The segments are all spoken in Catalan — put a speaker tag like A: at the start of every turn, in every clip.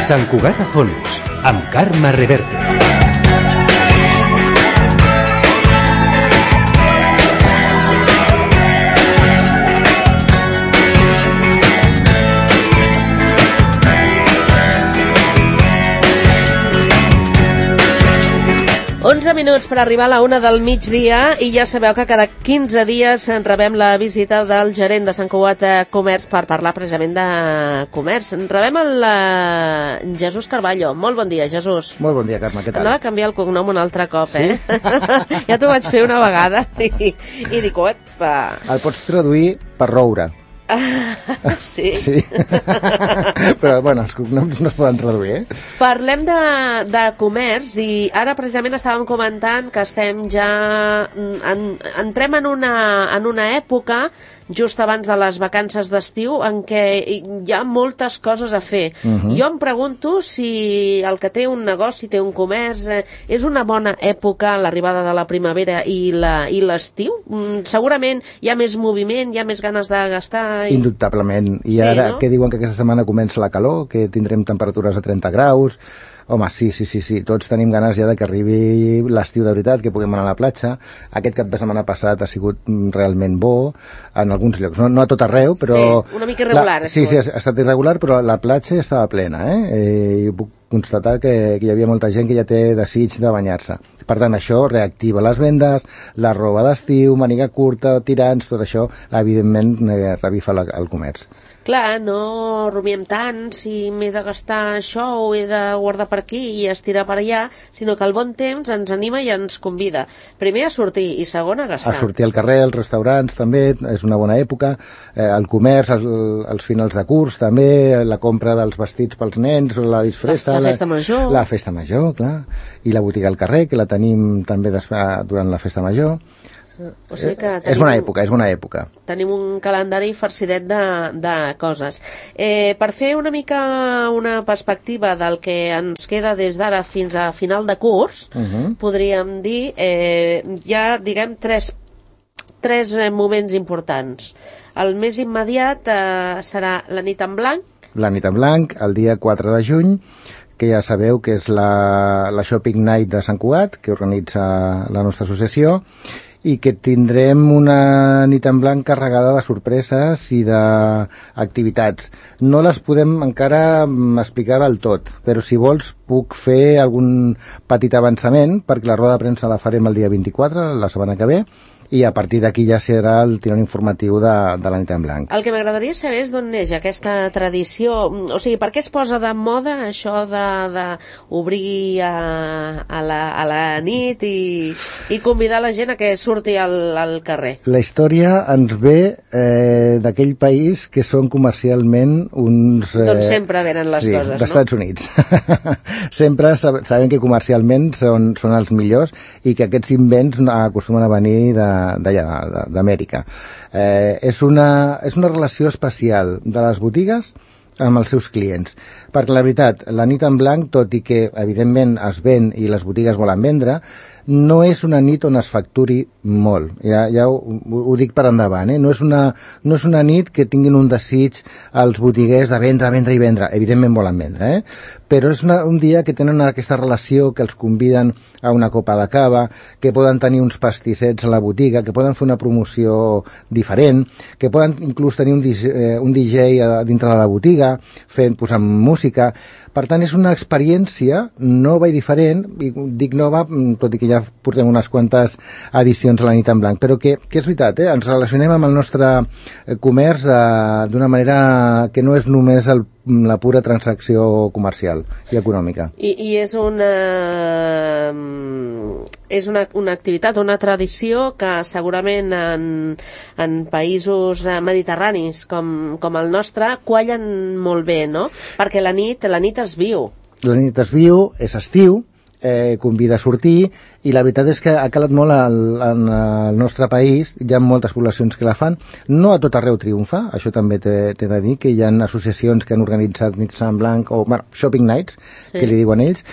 A: Sant Cugat a fons, amb Carme Reverte.
B: Minuts per arribar a la 1 del migdia i ja sabeu que cada 15 dies rebem la visita del gerent de Sant Cugat Comerç per parlar precisament de comerç. Rebem el Jesús Carballo. Molt bon dia, Jesús.
C: Molt bon dia, Carme, què tal?
B: Anava a canviar el cognom un altre cop, eh? Sí? Ja t'ho vaig fer una vegada i dic, epa.
C: El pots traduir per roure.
B: Sí.
C: Sí. Però, bueno, els cognoms no es poden traduir, eh?
B: Parlem de comerç i ara precisament estàvem comentant que estem ja... entrem en una època just abans de les vacances d'estiu en què hi ha moltes coses a fer. Jo em pregunto si el que té un negoci, té un comerç, és una bona època l'arribada de la primavera i l'estiu? Segurament hi ha més moviment, hi ha més ganes de gastar...
C: Indubtablement. I
B: sí,
C: ara,
B: no?
C: què diuen que aquesta setmana comença la calor, que tindrem temperatures a 30 graus... Home, sí, tots tenim ganes ja de que arribi l'estiu de veritat, que puguem anar a la platja. Aquest cap de setmana passat ha sigut realment bo en alguns llocs, no a tot arreu, però...
B: Sí, una mica irregular.
C: Sí, ha estat irregular, però la platja ja estava plena, i puc constatar que hi havia molta gent que ja té desig de banyar-se. Per tant, això reactiva les vendes, la roba d'estiu, màniga curta, tirants, tot això, evidentment, revifa el comerç.
B: Clar, no rumiem tant si m'he de gastar això o he de guardar per aquí i estirar per allà, sinó que el bon temps ens anima i ens convida. Primer a sortir i segon a gastar.
C: A sortir al carrer, als restaurants també, és una bona època, el comerç, els finals de curs també, la compra dels vestits pels nens, la disfressa...
B: La festa major.
C: La festa major, clar. I la botiga al carrer, que la tenim també durant la festa major.
B: O sigui que
C: és bona època.
B: Tenim un calendari farcidet de coses. Per fer una mica una perspectiva del que ens queda des d'ara fins a final de curs, podríem dir, hi ha, diguem, tres moments importants. El més immediat serà la nit en blanc.
C: La nit en blanc, el dia 4 de juny, que ja sabeu que és la Shopping Night de Sant Cugat, que organitza la nostra associació, i que tindrem una nit en blanc carregada de sorpreses i d'activitats. No les podem encara explicar del tot, però si vols puc fer algun petit avançament, perquè la roda de premsa la farem el dia 24, la setmana que ve, i a partir d'aquí ja serà el tirón informatiu de la nit en blanc.
B: El que m'agradaria saber és d'on neix aquesta tradició, o sigui, per què es posa de moda això d'obrir a la nit i convidar la gent a que surti al carrer?
C: La història ens ve d'aquell país que són comercialment uns...
B: D'on sempre venen les coses, no?
C: D'Estats Units. Sempre sabem que comercialment són els millors i que aquests invents acostumen a venir d'allà, d'Amèrica. És una relació especial de les botigues amb els seus clients, perquè la veritat, la nit en blanc, tot i que evidentment es ven i les botigues volen vendre, no és una nit on es facturi molt, ja ho dic per endavant, no és una nit que tinguin un desig els botiguers de vendre, evidentment volen vendre, però és un dia que tenen aquesta relació, que els conviden a una copa de cava, que poden tenir uns pastissets a la botiga, que poden fer una promoció diferent, que poden inclús tenir un DJ dintre de la botiga, posant música. Per tant, és una experiència nova i diferent, i dic nova, tot i que ja portem unes quantes edicions a la nit en blanc, però que és veritat, ens relacionem amb el nostre comerç d'una manera que no és només la pura transacció comercial i econòmica.
B: I és una activitat, una tradició que segurament en països mediterranis com el nostre quallen molt bé, no? Perquè la nit es viu.
C: La nit es viu, és estiu, convida a sortir i la veritat és que ha calat molt en el nostre país, hi ha moltes poblacions que la fan, no a tot arreu triomfa, això també t'he de dir, que hi ha associacions que han organitzat nits en blanc, o bueno, shopping nights, que li diuen ells,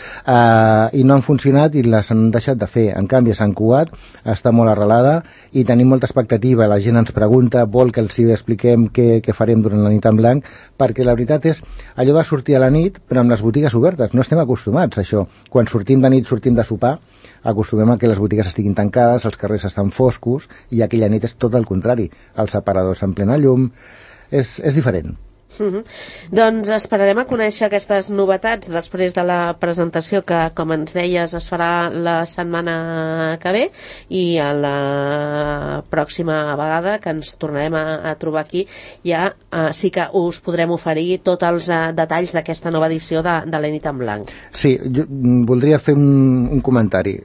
C: i no han funcionat i les han deixat de fer. En canvi, a Sant Cugat està molt arrelada i tenim molta expectativa, la gent ens pregunta, vol que els hi expliquem què farem durant la nit en blanc, perquè la veritat és allò de sortir a la nit, però amb les botigues obertes, no estem acostumats a això. Quan sortim de nit, sortim de sopar, acostumem a que les botigues estiguin tancades, els carrers estan foscos, i aquella nit és tot el contrari. Els aparadors en plena llum, és diferent.
B: Doncs esperarem a conèixer aquestes novetats després de la presentació que, com ens deies, es farà la setmana que ve, i a la pròxima vegada que ens tornarem a trobar aquí ja sí que us podrem oferir tots els detalls d'aquesta nova edició de la nit en blanc.
C: Sí, jo voldria fer un comentari.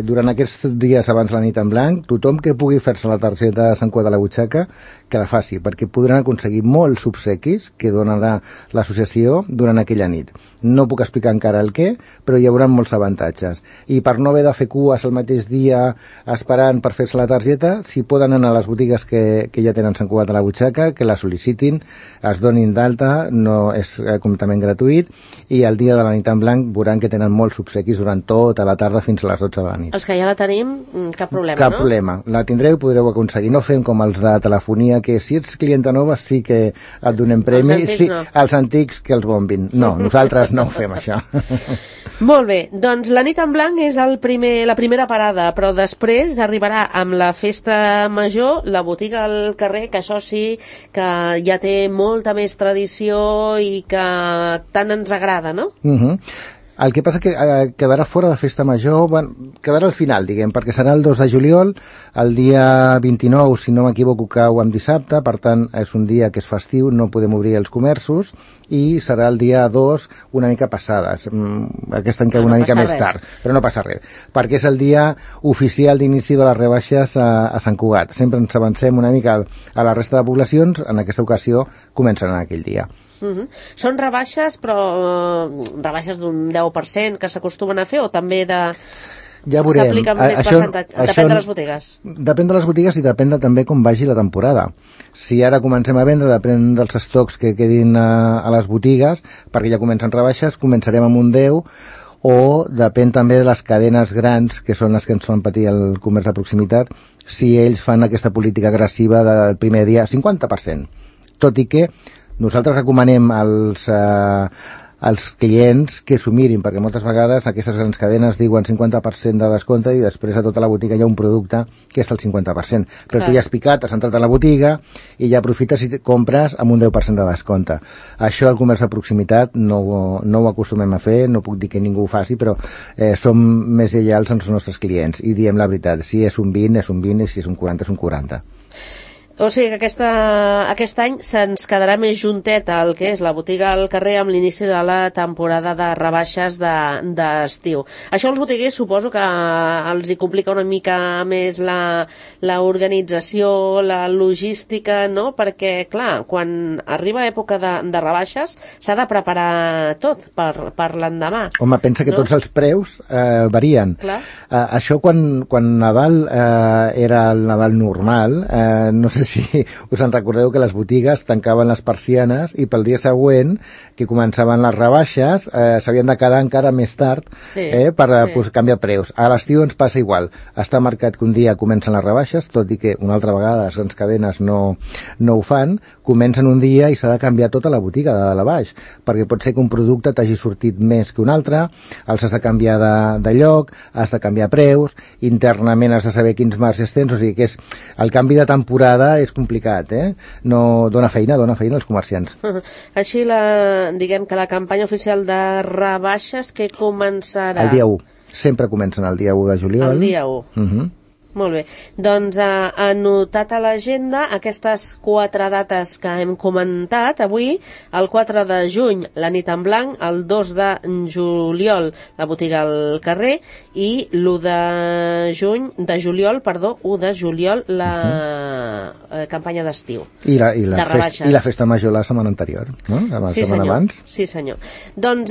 C: Durant aquests dies abans de la nit en blanc, tothom que pugui fer-se la targeta de Sant Cugat a la butxaca, que la faci, perquè podran aconseguir molts obsequis que donarà l'associació durant aquella nit. No puc explicar encara el què, però hi haurà molts avantatges. I per no haver de fer cues el mateix dia esperant per fer-se la targeta, si poden anar a les botigues que ja tenen Sant Cugat a la butxaca, que la sol·licitin, es donin d'alta, no és completament gratuït, i el dia de la nit en blanc veuran que tenen molts obsequis durant tota la tarda fins a les 12 de la nit.
B: Els que ja la tenim, cap problema,
C: Cap problema. La tindreu i podreu aconseguir. No fem com els de telefonia, que si ets clienta nova sí que et donem premi. Els antics que els bombin. No, nosaltres no ho fem, això.
B: Molt bé, doncs la nit en blanc és la primera parada, però després arribarà amb la festa major, la botiga al carrer, que això sí que ja té molta més tradició i que tant ens agrada, no?
C: El que passa que quedarà fora de festa major, quedarà al final, diguem, perquè serà el 2 de juliol, el dia 29, si no m'equivoco, cau en dissabte, per tant, és un dia que és festiu, no podem obrir els comerços, i serà el dia 2 una mica passada. Aquest any cau una mica més tard, però no passa res, perquè és el dia oficial d'inici de les rebaixes a Sant Cugat. Sempre ens avancem una mica a la resta de poblacions, en aquesta ocasió començaran aquell dia.
B: Són rebaixes, però rebaixes d'un 10% que s'acostumen a fer, o també
C: ja veurem.
B: S'aplica més percentatge? Depèn de les botigues.
C: Depèn de les botigues i depèn també com vagi la temporada. Si ara comencem a vendre, depèn dels estocs que quedin a les botigues, perquè ja comencen rebaixes, començarem amb un 10, o depèn també de les cadenes grans, que són les que ens fan patir el comerç de proximitat, si ells fan aquesta política agressiva del primer dia 50%. Tot i que nosaltres recomanem als clients que s'ho mirin, perquè moltes vegades aquestes grans cadenes diuen 50% de descompte i després a tota la botiga hi ha un producte que és el 50%. Però tu ja has picat, has entrat a la botiga i ja aprofites i compres amb un 10% de descompte. Això al comerç de proximitat no ho acostumem a fer, no puc dir que ningú ho faci, però som més lleials als nostres clients i diem la veritat. Si és un 20, és un 20, i si és un 40, és un 40.
B: O sigui que aquest any se'ns quedarà més juntet el que és la botiga al carrer amb l'inici de la temporada de rebaixes d'estiu. Això els botiguers suposo que els hi complica una mica més la organització, la logística, no? Perquè, clar, quan arriba època de rebaixes s'ha de preparar tot per l'endemà.
C: Home, pensa que tots els preus varien. Això quan Nadal era el Nadal normal, no sé si us en recordeu que les botigues tancaven les persianes i pel dia següent, que començaven les rebaixes, s'havien de quedar encara més tard per canviar preus. A l'estiu ens passa igual. Està marcat que un dia comencen les rebaixes, tot i que una altra vegada les grans cadenes no ho fan, comencen un dia i s'ha de canviar tota la botiga de dalt a baix, perquè pot ser que un producte t'hagi sortit més que un altre, els has de canviar de lloc, has de canviar preus, internament has de saber quins marges tens, o sigui que el canvi de temporada és complicat, No dona feina als comerciants.
B: Així, diguem que la campanya oficial de rebaixes que començarà...
C: El dia 1. Sempre comencen el dia 1 de juliol.
B: El dia 1. Molt bé. Doncs anotat a l'agenda aquestes 4 dates que hem comentat avui. El 4 de juny, la nit en blanc, el 2 de juliol, la botiga al carrer, i l'1 de juliol, la campanya d'estiu.
C: I la festa major la setmana anterior, no? La setmana abans.
B: Sí, senyor. Doncs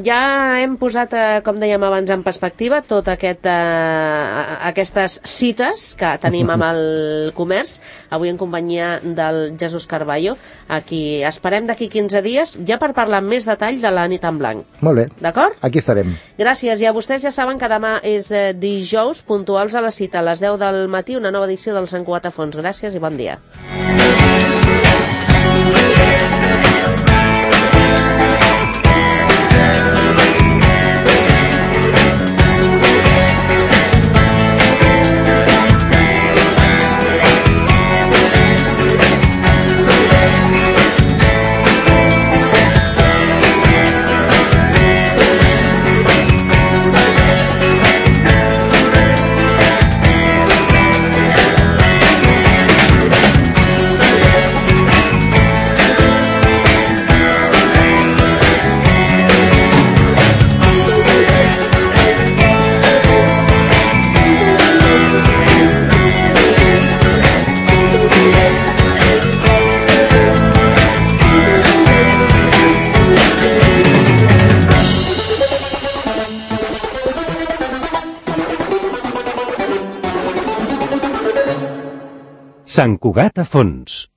B: ja hem posat, com dèiem abans, en perspectiva tot aquestes cites que tenim amb el comerç, avui en companyia del Jesús Carballo, a qui esperem d'aquí 15 dies, ja per parlar amb més detall de la nit en blanc.
C: Molt bé.
B: D'acord?
C: Aquí estarem.
B: Gràcies, i a vostès ja saben que demà és dijous, puntuals a la cita, a les 10 del matí, una nova edició del Sant Cugat a Fons. Gràcies i bon dia.
A: Sant Cugat a Fons.